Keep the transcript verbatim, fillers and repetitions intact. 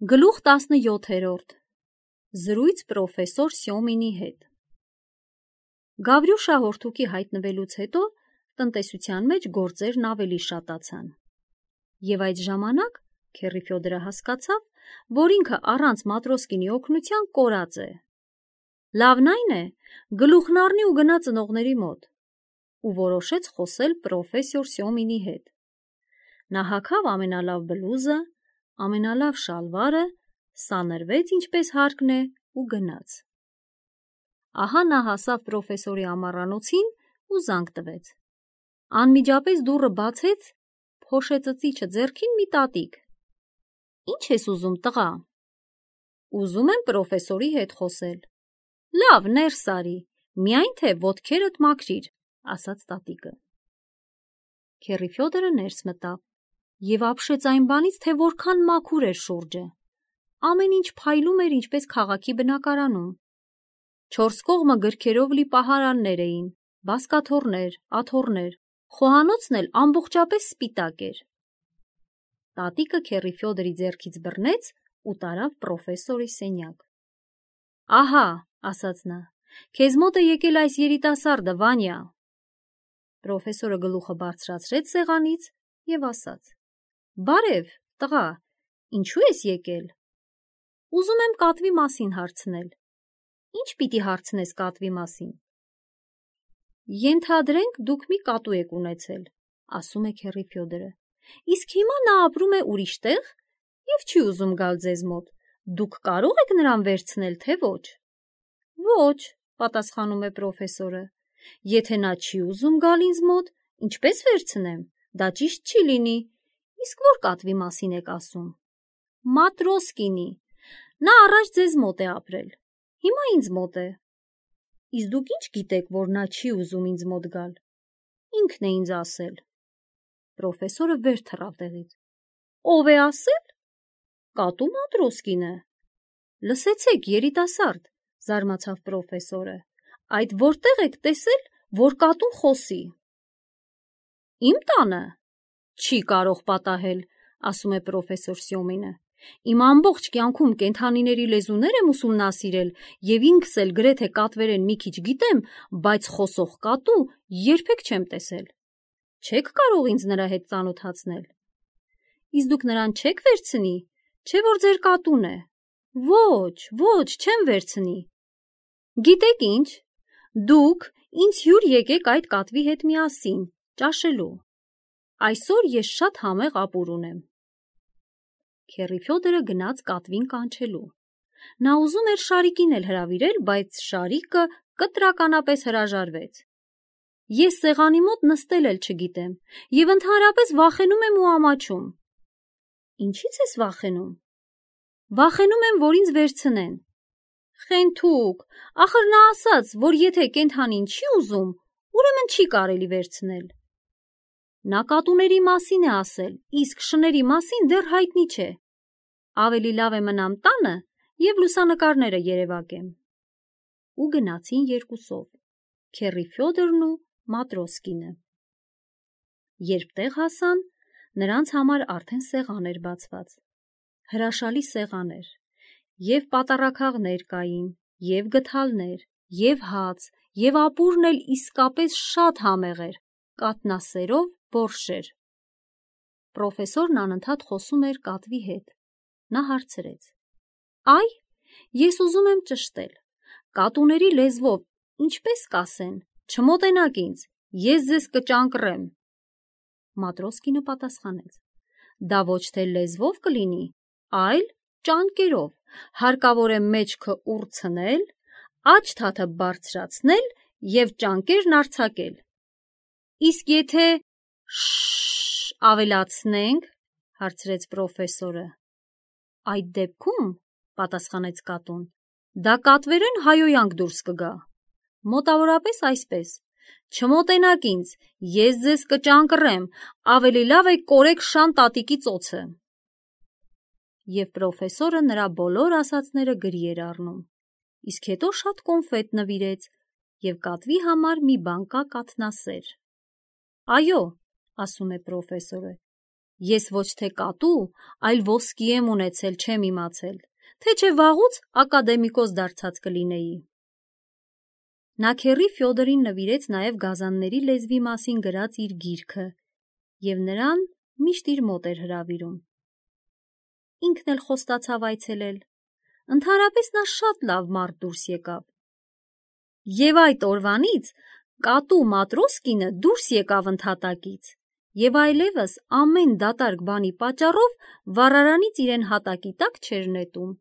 Գլուխ տասնյոթերորդ Զրույց պրոֆեսոր Սյոմինի հետ Գավրյուշ հաղորդուկի հայտնվելուց հետո տնտեսության մեջ գործերն ավելի շատացան։ Եվ այդ ժամանակ Քեռի Ֆյոդորը հասկացավ, որ ինքը առանց Մատրոսկինի օգնության կորած է։ Լավն այն է, գլուխն առնի ու գնա ծնողների մոտ, ու որոշեց խոսել պրոֆեսոր Սյոմինի հետ։ Նա հագավ ամենալավ բլուզը, ամենալավ շալվարը, սանրվեց ինչպես հարկն է ու գնաց։ Ահա նա հասավ պրոֆեսորի ամառանոցին ու զանգ տվեց։ Անմիջապես դուռը բացեց փոշեծծիչը ձեռքին մի տատիկ։ Ինչ ես ուզում, տղա։ Ուզում եմ պրոֆեսորի հետ խոսել։ Լավ, ներս արի, միայն թե ոտքերդ մաքրիր, ասաց տատիկը։ Քեռի Ֆյոդորը ներս մտավ և ապշեց այն բանից, թե որքան մաքուր էր շուրջը։ Ամեն ինչ փայլում էր ինչպես քաղաքի բնակարանում։ Չորս կողմը գրքերով լի պահարաններ էին, բազկաթոռներ, աթոռներ, խոհանոցն էլ ամբողջապես սպիտակ էր։ Տատիկը Քեռի Ֆյոդորի ձեռքից բռնեց ու տարավ պրոֆեսորի սենյակ։ Ահա, ասաց նա, քեզ մոտ է եկել այս երիտասարդը, Վանյա։ Պրոֆեսորը գլուխը բարձրացրեց սեղանից և ասաց. Բարև, տղա, ինչու ես եկել։ Ուզում եմ կատվի մասին հարցնել։ Ինչ պիտի հարցնես կատվի մասին։ Ենթադրենք դուք մի կատու եք ունեցել, ասում է Քեռի Ֆյոդորը, իսկ հիմա նա ապրում է ուրիշ տեղ և չի ուզում գալ ձեզ մոտ, դուք կարող եք նրան վերցնել, թե ոչ։ Ոչ, պատասխանում է պրոֆեսորը, եթե նա չի ուզում գալ ինձ մոտ, ինչպես վերցնեմ, դա ճիշտ չի լինի, իսկ որ կատվի մասին եք ասում։ Մատրոսկինի, նա առաջ ձեզ մոտ է ապրել, հիմա ինձ մոտ է։ Իսկ դուք ինչ գիտեք, որ նա չի ուզում ինձ մոտ գալ։ Ինքն է ինձ ասել։ Պրոֆեսորը վեր թռավ տեղից։ Ով է ասել։ Կատու Մատրոսկինը։ Լսեցեք, երիտասարդ, զարմացավ պրոֆեսորը, այդ որտեղ եք տեսել, որ կատուն խոսի։ Իմ տանը։ Չի կարող պատահել, ասում է պրոֆեսոր Սյոմինը։ Իմ ամբողջ կյանքում կենդանիների լեզուներ եմ ուսումնասիրել և ինքս էլ գրեթե կատվերեն մի քիչ գիտեմ, բայց խոսող կատու երբեք չեմ տեսել։ Չեք կարող ինձ նրա հետ ծանոթացնել։ Իսկ դուք նրան չեք վերցնի, չէ՞ որ ձեր կատուն է։ Ոչ, ոչ, չեմ վերցնի։ Գիտեք ինչ, դուք ինձ հյուր եկեք այդ կատվի հետ միասին, ճաշելու։ Այսօր ես շատ համեղ ապուր ունեմ։ Քեռի Ֆյոդորը գնաց կատվին կանչելու։ Նա ուզում էր Շարիկին էլ հրավիրել, բայց Շարիկը կտրականապես հրաժարվեց։ Ես սեղանի մոտ նստել էլ չգիտեմ և ընդհանրապես վախենում եմ ու ամաչում։ Ինչի՞ց ես վախենում։ Վախենում եմ, որ ինձ վերցնեն։ Խենթուկ, ախր նա ասաց, որ եթե կենդանին չի ուզում, ուրեմն չի կարելի վերցնել։ Նա կատուների մասին է ասել, իսկ շների մասին դեռ հայտնի չէ։ Ավելի լավ է մնամ տանը և լուսանկարները երևակեմ։ Ու գնացին երկուսով, Քեռի Ֆյոդորն ու Մատրոսկինը։ Երբ տեղ հասան, նրանց համար արդեն սեղան էր բացված։ Հրաշալի սեղան էր, և պատառաքաղներ կային, և գդալներ, և հաց, և ապուրն էլ իսկապես շատ համեղ էր, կաթնասերով բորշ էր։ Պրոֆեսորն անընդհատ խոսում էր կատվի հետ։ Նա հարցրեց. Այ, ես ուզում եմ ճշտել, կատուների լեզվով ինչպես կասեն, չմոտենաք ինձ, ես ձեզ կճանկռեմ։ Մատրոսկինը պատասխանեց. Դա ոչ թե լեզվով կլինի, այլ ճանկերով, հարկավոր է մեջքը ուրցնել, աջ թաթը բարձրացնել և ճանկերն արձակել։ Իսկ եթե շշշ ավելացնենք, հարցրեց պրոֆեսորը։ Այդ դեպքում, պատասխանեց կատուն, դա կատվերեն հայոյանք դուրս կգա։ Մոտավորապես այսպես, չմոտենաք ինձ, ես ձեզ կճանկռեմ, ավելի լավ է կորեք շան տատիկի ծոցը։ Եվ պրոֆեսորը նրա բոլոր ասածները գրի էր առնում, իսկ հետո շատ կոնֆետ նվիրեց և կատվի համար մի բան կա կաթնասեր։ Այո, ասում է պրոֆեսորը, Ես ոչ թե կատու, այլ ոսկի եմ ունեցել, չեմ իմացել, թե չէ վաղուց ակադեմիկոս դարձած կլինեի։ Նա քեռի Ֆյոդորին նվիրեց նաև գազանների լեզվի մասին գրած իր գիրքը և նրան միշտ իր մոտ էր հրավիրում։ Ինքն էլ խոստացավ այցելել։ Ընդհանրապես նա շատ լավ մարդ դուրս եկավ։ Եվ այդ օրվանից կատու Մատրոսկինը դուրս եկավ ընդհատակից և այլևս ամեն դատարկ բանի պատճառով վառարանից իրեն հատակի տակ չէր նետում։